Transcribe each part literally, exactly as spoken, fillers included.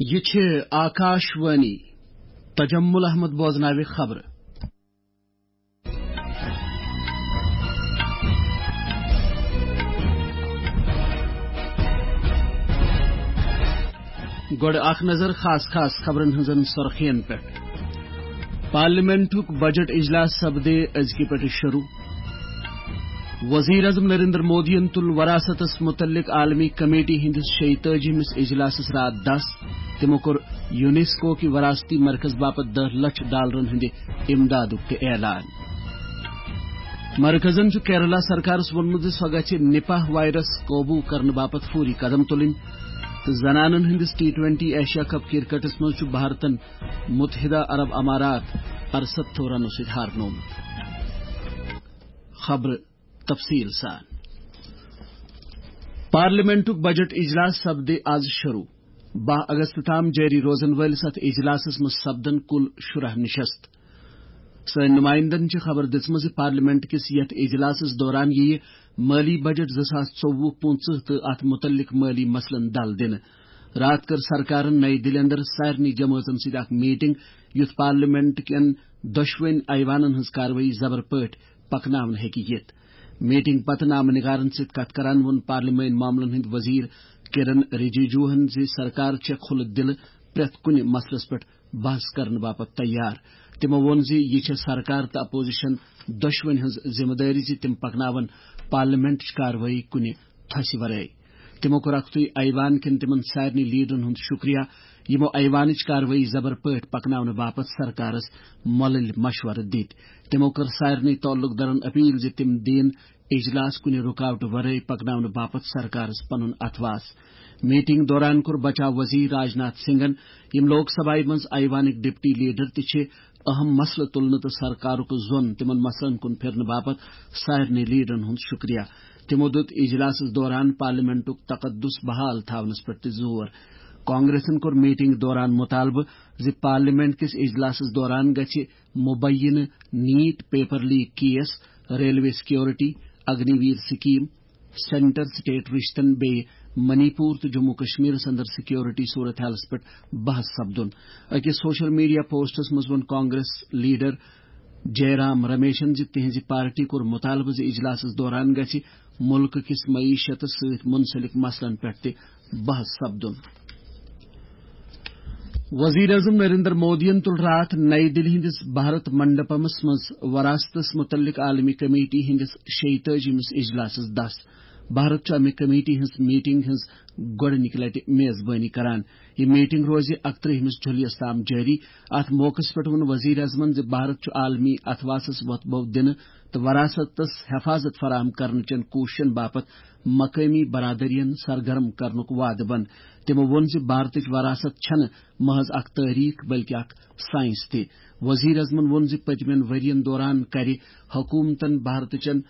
یہِ چھِ آکاش وانی۔ تجمل احمد بوزناوِ خبرٕ۔ گۄڈٕ اکھ نظر خاص خاص خبرن ہٕنٛزن سرخین پٮ۪ٹھ۔ پارلیمنٹُک بجٹ اجلاس سپدِ أزکہِ پٮ۪ٹھٕ شروع۔ وزیر اعظم نریندر مودیَن تُل وراثتس متعلق عالمی کمیٹی ہٕنٛدِس شیٚیہِ تٲجی ہِمِس اجلاسس راتھ دس۔ تِمو کوٚر یونیسکو کہِ وراثتی مرکز باپتھ دہ لچھ ڈالرن ہٕنٛدِ امدادُک تہِ اعلان۔ مرکزن چھُ کیرلا سرکارس ووٚنمُت زِ سۄ گژھِ نپاہ وائرس قوبو کرنہٕ باپتھ فوری قدم تُلٕنۍ تہٕ زنانن ہٕنٛدِس ٹی ٹوینٹی ایشیا کپ کرکٹس منٛز چھُ بھارتن متحدہ عرب امارات ارستتھو رنو سۭتۍ ہارنومُت۔ خبرٕ تفصیل سان۔ پارلیمنٹُک بجٹ اجلاس سپدِ آز شروع۔ باہ اگست تام جٲری روزن وٲلِس اتھ اجلاسس منٛز سپدن کُل شُراہ نشست۔ سٲنۍ نمائندن چھِ خبر دِژمٕژ زِ پارلیمنٹ کِس یتھ اجلاسس دوران یِیہِ مٲلی بجٹ زٕ ساس ژوٚوُہ پٕنٛژٕہ تہٕ اتھ متعلق مٲلی مسلن دل دِنہٕ۔ راتھ کٔر سرکارن نئی دِلہِ اندر سارنٕے جمٲژن سۭتۍ اکھ میٹنگ، یُتھ پارلیمنٹ کٮ۪ن دۄشوٕنۍ ایوانن ہٕنٛز کاروٲیی زبر پٲٹھۍ پکناونہٕ ہیٚکہِ یِتھ۔ میٹنگ پتہٕ نامہ نگارن سۭتۍ کتھ کران ووٚن پارلیمٲنۍ معاملن ہٕنٛدۍ وزیر کرن رجیجوہن زِ سرکار چھےٚ کھُلہٕ دِلہٕ پرٛٮ۪تھ کُنہِ مسلس پٮ۪ٹھ بحث کرنہٕ باپتھ تیار۔ تِمو ووٚن زِ یہِ چھےٚ سرکار تہٕ اپوزیشن دۄشوٕنۍ ہٕنٛز ذمہٕ دٲری زِ تِم پکناون پارلیمنٹٕچ کاروٲیی کُنہِ تھۄسہِ ورٲے۔ تِمو کوٚر اکھتُے ایوان کٮ۪ن تِمن سارنٕے لیڈرن ہُنٛد شُکریہ، یِمو ایوانٕچ کاروٲیی زبر پٲٹھۍ پکناونہٕ باپتھ سرکارس مۄلٕلۍ مشورٕ دِتۍ۔ تِمو کٔر سارنٕے تعلق دارن اپیل زِ تِم دِن اجلاس کُنہِ رُکاوٹہٕ ورٲے پکناونہٕ باپتھ سرکارس پنُن اتھواس۔ میٹنگ دوران کوٚر بچاو وزیر راجناتھ سنگھن، یِم لوک سبھایہ منٛز ایوانٕکۍ ڈپٹی لیڈر تہِ چھِ، اہم مسلہٕ تُلنہٕ تہٕ سرکارُک زون تِمن مسلن کُن پھِرنہٕ باپتھ سارنٕے لیڈرن ہُنٛد شُکریہ۔ تِمو دیُت اجلاسس دوران پارلیمنٹُک تقدس بحال تھاونس پٮ۪ٹھ تہِ زور۔ کانگریسن کوٚر میٹنگ دوران مطالبہٕ زِ پارلیمنٹ کِس اجلاسس دوران گژھِ مبینہ NEET paper leak case, railway security, Agniveer scheme, centre state رشتن بیٚیہِ منی پور تہٕ جموں کشمیرس اندر سیکورٹی صورت حالس پٮ۪ٹھ بحث سپدُن۔ أکِس سوشل میڈیا پوسٹس منٛز ووٚن کانگریس لیڈر جے رام رمیشن زِ تِہنزِ پارٹی کوٚر مطالبہٕ زِ اجلاسس دوران گژھِ مُلکہٕ کِس معیشتس سۭتۍ منسلک مسلن پٮ۪ٹھ تہِ بحث سپدُن۔ وزیر اعظم نریندر مودیَن تُل راتھ نئی دِلہِ ہٕنٛدِس بھارت منڈپمس منٛز وراثتس متعلق عالمی کمیٹی ہٕنٛدِس شیٚیہِ تٲجی ہِمِس اجلاسس دس۔ بھارت چھُ امہِ کمیٹی ہٕنٛز میٹنگ ہٕنٛز گۄڈٕنِکہِ لٹہِ میزبٲنی کران۔ یہِ میٹنگ روزِ اکترٕہ ہِمِس جُلیَس تام جٲری۔ اتھ موقعس پٮ۪ٹھ ووٚن وزیر اعظمن زِ بھارت چھُ عالمی اتھواسس وۄتھ بو دِنہٕ تہٕ وراثتس حفاظت فراہم کرنہٕ چٮ۪ن کوٗششن باپتھ مقٲمی برادرین سرگرم کرنُک وعدٕ بنٛد۔ تِمو ووٚن زِ بھارتٕچ وراثت چھنہٕ محض اکھ تٲریخ بلکہِ اکھ سائنس تہِ۔ وزیر اعظمن ووٚن زِ پٔتمٮ۪ن ؤرین دوران کرِ حکومتن بھارتٕچن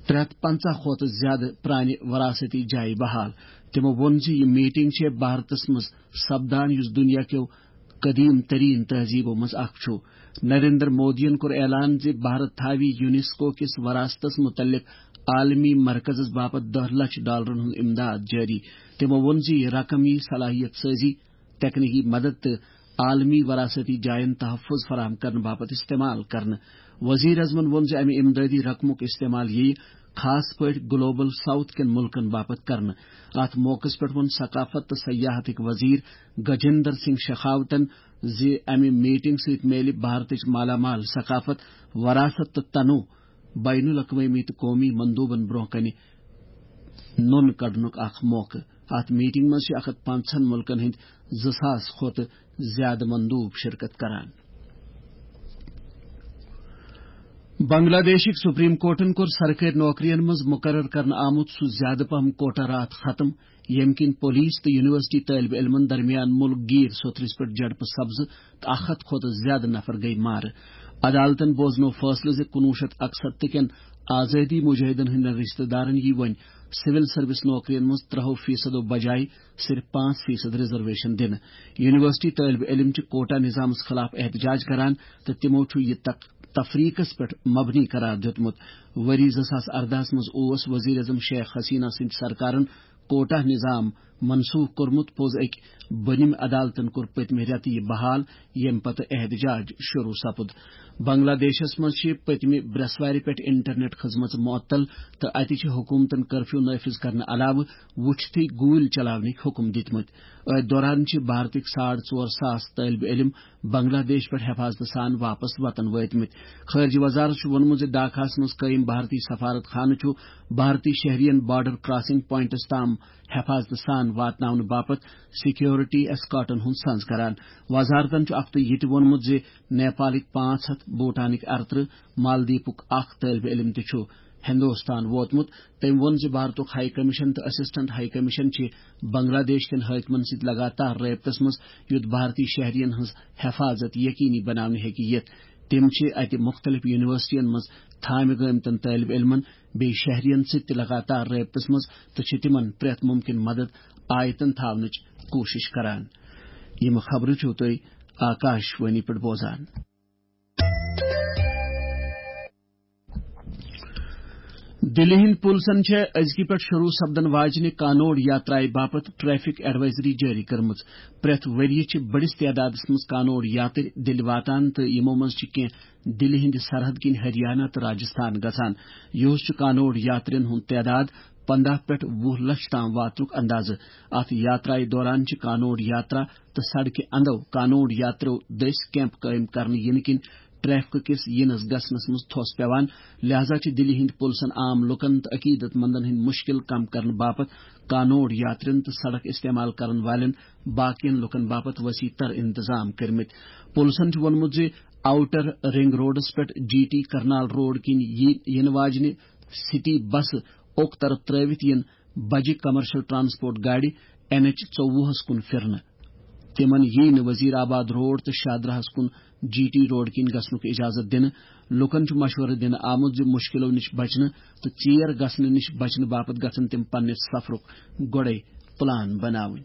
ترٛےٚ ہتھ پنٛژاہ کھۄتہٕ زیادٕ پرانہِ وراثتی جایہِ بحال۔ تِمو ووٚن زِ یہِ میٹنگ چھےٚ بھارتس منٛز سپدان، یُس دُنیا کیو قدیم ترین تہذیبو منٛز اکھ چھُ۔ نریندر مودیَن کوٚر اعلان زِ بھارت تھاوِ یونیسکو کِس وراثتس متعلق عالمی مرکزس باپتھ دہ لچھ ڈالرن ہُنٛد امداد جٲری۔ تِمو ووٚن زِ یہِ رقم یِیہِ صلاحیت سازی، تکنیکی مدد تہٕ عالمی وراثتی جاین تحفظ فراہم کرنہٕ باپتھ استعمال کرنہٕ۔ وزیر اعظمن ووٚن زِ امہِ امدادی رقمُک استعمال یِیہِ خاص پٲٹھۍ گلوبل ساؤتھ کٮ۪ن مُلکن باپتھ کرنہٕ۔ اتھ موقعس پٮ۪ٹھ ووٚن ثقافت تہٕ سیاحتٕکۍ وزیر گجیندر سنگھ شیخاوتن زِ امہِ میٹنگ سۭتۍ میلہِ بھارتٕچ مالا مال ثقافت، وراثت تہٕ تنوع بین الاقوٲمی تہٕ قومی مندوبن برونٛہہ کنہِ نوٚن کڑنُک اکھ موقعہٕ۔ اتھ میٹنگ منٛز چھِ اکھ ہتھ پنٛژاہن مُلکن ہٕنٛدۍ زٕ ساس کھۄتہٕ زیادٕ مندوب شرکت کران۔ بنگلہ دیشٕکۍ سپریم کورٹن کوٚر سرکٲرۍ نوکرین منٛز مقرر کرنہٕ آمُت سُہ زیادٕ پہم کوٹا راتھ ختم، ییٚمہِ کِنۍ پولیس تہٕ یونیورسٹی طٲلبہِ علمن درمیان مُلک گیٖر سوٚتھرِس پٮ۪ٹھ جھڑپہٕ سپزٕ تہٕ اکھ ہتھ کھۄتہٕ زیادٕ نفر گٔیہِ مارٕ۔ عدالتن بوزنوو فٲصلہٕ زِ کُنوُہ شیٚتھ اکستتھ کٮ۪ن آزٲدی مجاہدن ہٕنٛدٮ۪ن رشتہٕ دارن یِیہِ وۄنۍ سول سروس نوکرین منٛز ترٛہو فیصدو بجایہِ صرف پانٛژھ فیصد ریزرویشن دِنہٕ۔ یونیورسٹی طٲلبہِ علم چھِ کوٹا نظامس خلاف احتجاج کران تہٕ تِمو چھُ یہِ تق-، تفریقس پٮ۪ٹھ مبنی قرار دیُتمُت۔ ؤری زٕ ساس اردہس منٛز اوس وزیر اعظم شیخ حسینہ سٕنٛدِ سرکارن کوٹا نظام منسوخ کوٚرمُت۔ پوٚز أکۍ بٔنِم عدالتَن کوٚر پٔتمہِ رٮ۪تہٕ یہِ بحال، ییٚمہِ پتہٕ احتجاج شروع سپُد۔ بنگلہ دیشَس منٛز چھِ پٔتمہِ برٛٮ۪سوارِ پٮ۪ٹھ انٹرنیٹ خدمژٕ معطل تہٕ اَتہِ چھِ حکوٗمتَن کرفیو نافذ کرنہٕ علاوٕ وُچھتھٕے گوٗلۍ چلاونٕکۍ حکم دِتمٕتۍ۔ أتھۍ دوران چھِ بھارتٕکۍ ساڑ ژور ساس طٲلبہِ علم بنگلہ دیش پٮ۪ٹھ حفاظتہٕ سان واپس وطن وٲتمٕتۍ۔ خارجہ وزارت چھُ ووٚنمُت زِ ڈھاکہس منٛز قٲیِم بھارتی سفارت خانہٕ چھُ بھارتی شہرین بارڈر کراسنگ پوائنٹس تام حفاظتہٕ سان واتناونہٕ باپتھ سیکیورٹی ایسکارٹن ہُنٛد سنز کران۔ وزارتن چھُ اکھ تہٕ یہِ تہِ ووٚنمُت زِ نیپالٕکۍ پانٛژھ ہتھ، بھوٹانٕکۍ ارترٕہ، مالدیپُک اکھ طٲلبہِ علم تہِ چھُ ہندوستان ووتمُت۔ تٔمۍ ووٚن زِ بھارتُک ہائی کمیشن تہٕ اسسٹنٹ ہائی کمیشن چھِ بنگلہ دیش کٮ۪ن حٲکمن سۭتۍ لگاتار رٲبطس منٛز، یُتھ بھارتی شہرین ہٕنٛز حفاظت یقینی بناونہٕ ہیٚکہِ یِتھ۔ تِم چھِ اتہِ مُختٔلِف یونیورسٹین منٛز تھامہِ گٲمتٮ۪ن طٲلبہِ علمن بیٚیہِ شہرین سۭتۍ تہِ لگاتار رٲبطس منٛز تہٕ چھِ تِمن پرٛٮ۪تھ مُمکِن مدد آیتن تھاونٕچ کوٗشش کران۔ یِم خبرٕ چھِو تُہۍ آکاش وانی پٮ۪ٹھ بوزان۔ دِلہِ ہٕنٛدۍ پُلسن چھےٚ أزکہِ پٮ۪ٹھ شروع سپدن واجنہِ کانوڑ یاترایہِ باپتھ ٹریفک ایڈوائزری جٲری کٔرمٕژ۔ پرٛٮ۪تھ ؤرۍ یہِ چھِ بٔڑِس تعدادس منٛز کانوڑ یاترۍ دِلہِ واتان تہٕ یِمو منٛز چھِ کینٛہہ دِلہِ ہٕنٛدِ سرحد کِنۍ ہریانہ تہٕ راجستھان گژھان۔ یِہُس چھُ کانوڑ یاترین ہُنٛد تعداد پنداہ پٮ۪ٹھ وُہ لچھ تام واتنُک اندازٕ۔ اتھ یاترایہِ دوران چھِ کانوڑ یاترا تہٕ سڑکہِ اندو کانوڑ یاتریو دٔسۍ کیمپ قٲیِم کرنہٕ یِنہٕ کِنۍ ٹریفک کِس یِنس گژھنس منٛز تھوٚس پٮ۪وان۔ لہذا چھِ دِلہِ ہٕنٛدۍ پُلسن عام لُکن تہٕ عقیدت مندن ہٕنٛدۍ مُشکِل کم کرنہٕ باپتھ کانوڑ یاترین تہٕ سڑک استعمال کرن والٮ۪ن باقین لُکن باپتھ وسیع تر انتظام کٔرمٕتۍ۔ پُلسن چھُ ووٚنمُت زِ آؤٹر رنگ روڈس پٮ۪ٹھ جی ٹی کرنال روڈ کِنۍ یی-، یِنہٕ واجنہِ سٹی بسہٕ اوٚک طرف ترٲوِتھ یِن بجہِ کمرشل ٹرانسپورٹ گاڑِ این ایچ ژوٚوُہس کُن پھِرنہٕ۔ تِمن یی نہٕ وزیر آباد روڈ تہٕ شاہدراہس کُن جی ٹی روڈ کِنۍ گژھنُک اجازت دِنہٕ۔ لوٗکن چھُ مشورٕ دِنہٕ آمُت زِ مُشکِلو نِش بچنہٕ تہٕ ژیر گژھنہٕ نِش بچنہٕ باپتھ گژھن تِم پننِس سفرُک گۄڈَے پلان بناوٕنۍ۔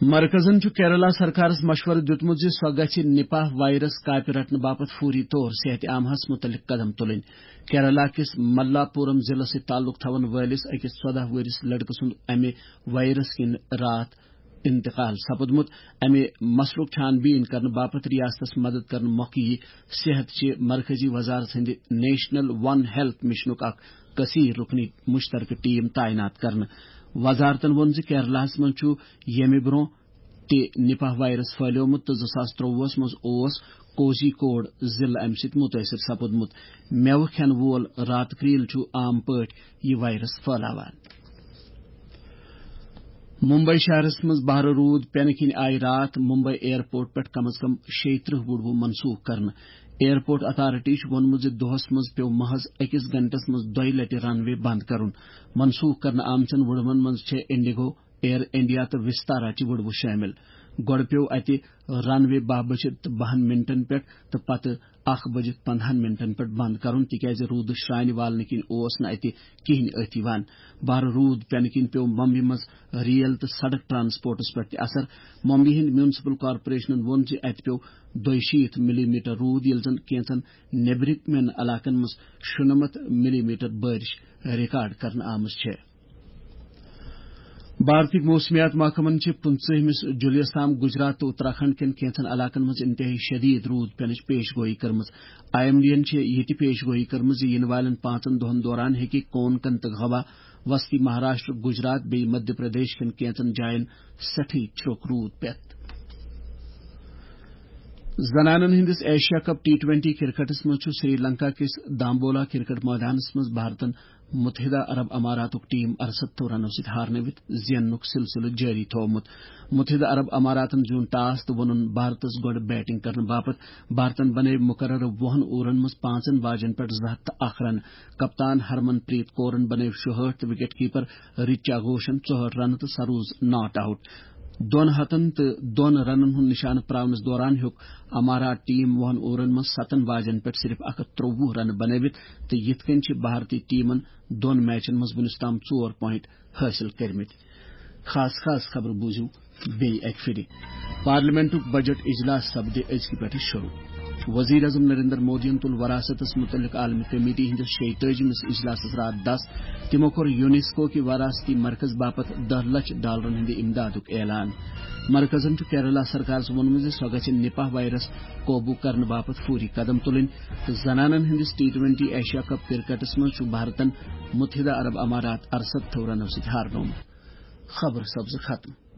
مرکزن چھُ کیرلا سرکارس مشورٕ دیُتمُت زِ سۄ گژھِ نپاہ وائرس کاپہِ رٹنہٕ باپتھ فوری طور صحت عامہس مُتعلق قدم تُلٕنۍ۔ کیرلا کِس ملاپورم ضلعس سۭتۍ تعلق تھاون وٲلِس أکِس ژۄداہ وُہرِس لڑکہٕ سُنٛد امہِ وائرس کِنۍ راتھ انتقال سپُدمُت۔ امہِ مسلُک چھان بین کرنہٕ باپتھ ریاستس مدد کرنہٕ مۄکھٕ یی صحت چہِ مرکزی وزارت ہٕنٛدِ نیشنل ون ہیلتھ مشنُک اکھ کثیر رکنی مشترکہٕ ٹیم تعینات کرنہٕ۔ وزارتن ووٚن زِ کیرلاہس منٛز چھُ ییٚمہِ برٛونٛہہ تہِ نپاہ وائرس پھٔہلیومُت تہٕ زٕ ساس ترٛۆوُہس منٛز اوس کوزی کوڈ ضلعہٕ امہِ سۭتۍ مُتٲثر سپُدمُت۔ مٮ۪وٕ کھٮ۪ن وول راتہٕ کرٛیٖل چھُ عام پٲٹھۍ یہِ وائرس پھٔہلاوان۔ ممبئی شہرس منٛز بھرٕ روٗد پٮ۪نہٕ کِنۍ آیہِ راتھ ممبئی ایئرپورٹ پٮ۪ٹھ کم از کم شیٚیہِ ترٕٛہ وُڈوٕ منسوخ کرنہٕ۔ ایئرپورٹ اتھارٹی چھُ ووٚنمُت زِ دۄہس منٛز پیوٚو محض أکِس گھنٹس منٛز دۄیہِ لٹہِ رن وے بند کرُن۔ منسوخ کرنہٕ آمژن وُڈوَن منٛز چھےٚ انڈیگو، ایئر انڈیا تہٕ وستارا چہِ وُڈوٕ شٲمِل۔ گۄڈٕ پیوٚو اتہِ رن وے باہ بجہِ تہٕ بَہَن منٹن پٮ۪ٹھ تہٕ پتہٕ اکھ بجہِ پندہَن منٹن پٮ۪ٹھ بند کرُن، تِکیازِ روٗدٕ شرٛانہِ والنہٕ کِنۍ اوس نہٕ اتہِ کِہینۍ أتھۍ یِوان۔ بھرٕ روٗد پٮ۪نہٕ کِنۍ پیوٚو ممبئی منٛز ریل تہٕ سڑک ٹرانسپورٹس پٮ۪ٹھ تہِ اثر۔ ممبئی ہٕنٛدۍ میونسپل کارپوریشنن ووٚن زِ اتہِ پیوٚو دۄیہِ شیٖتھ ملی میٹر روٗد، ییٚلہِ زن کینٛژن نیبرِمٮ۪ن علاقن منٛز شُنَمَتھ ملی میٹر بارش ریکارڈ کرنہٕ آمٕژ چھےٚ۔ بھارتی موسمیات محکمن چھِ پٕنٛژٕہمِس جولائی تام گجرات تہٕ اتراکھنڈ کٮ۪ن کینٛژن علاقن منٛز انتہٲئی شدید روٗد پینٕچ پیش گوئی کٔرمٕژ۔ آئی ایم ڈی ین چھِ یہِ تہِ پیش گوئی کٔرمٕژ زِ یِنہٕ والٮ۪ن پانٛژن دۄہن دوران ہیٚکہِ کونکن تہٕ گوا، وسطی مہاراشٹر، گجرات بیٚیہِ مدھیہ پردیش کٮ۪ن کینٛژن جاین سٮ۪ٹھٕے چھرٛوٚک روٗد پٮ۪تھ۔ زنانن ہٕنٛدِس ایشیا کپ ٹی ٹوینٹی کرکٹس منٛز چھُ سری لنکا کِس دامبولا کرکٹ مٲدانس منٛز بھارتن متحدہ عرب اماراتُک ٹیم ارستو رنو سۭتۍ ہارنٲوِتھ زیننُک سلسلہٕ جٲری تھوومُت۔ متحدہ عرب اماراتن زیوٗن ٹاس تہٕ ووٚنُن بھارتس گۄڈٕ بیٹنگ کرنہٕ باپتھ۔ بھارتن بنٲوۍ مقررٕ وُہن اوورن منٛز پانٛژن باجن پٮ۪ٹھ زٕ ہتھ تہٕ اکھ رن۔ کپتان ہرمن پریت کورن بنٲوۍ شُہٲٹھ تہٕ وکٹ کیپر رچا گھوشن ژُہٲٹھ رنہٕ تہٕ سہ روٗز ناٹ آوٹ۔ دۄن ہتن تہٕ دۄن رنن ہُنٛد نشانہٕ پراونس دوران ہیوٚک امارات ٹیم وُہن اوورن منٛز ستن باجن پٮ۪ٹھ صرف اکھ ہتھ ترٛۆوُہ رنہٕ بنٲوِتھ تہٕ یِتھ کٔنۍ چھِ بھارتی ٹیمن دۄن میچن منٛز وُنیُس تام ژور پوینٹ حٲصِل کٔرمٕتۍ۔ خاص خاص خبرٕ بوٗزِو بیٚیہِ اکہِ پھِرِ۔ پارلیمنٹُک بجٹ اجلاس سپدِ أزکہِ پٮ۪ٹھٕ شروع۔ وزیر اعظم نریندر مودیَن تُل وراثتس متعلق عالمی کمیٹی ہٕنٛدِس شیٚیہِ تٲجِمِس اجلاسس راتھ دس۔ تِمو کوٚر یونیسکو کہِ وراثتی مرکز باپتھ دہ لچھ ڈالرن ہٕنٛدِ امدادُک اعلان۔ مرکزن چھُ کیرلا سرکارس ووٚنمُت زِ سۄ گژھِ نپاہ وائرس قوبو کرنہٕ باپتھ فوری قدم تُلٕنۍ تہٕ زنانن ہٕنٛدِس ٹی ٹوینٹی ایشیا کپ کرکٹس منٛز چھُ بھارتن متحدہ عرب امارات ارسَتتھو رنو سۭتۍ ہارنومُت۔ خبر سپزٕ ختم۔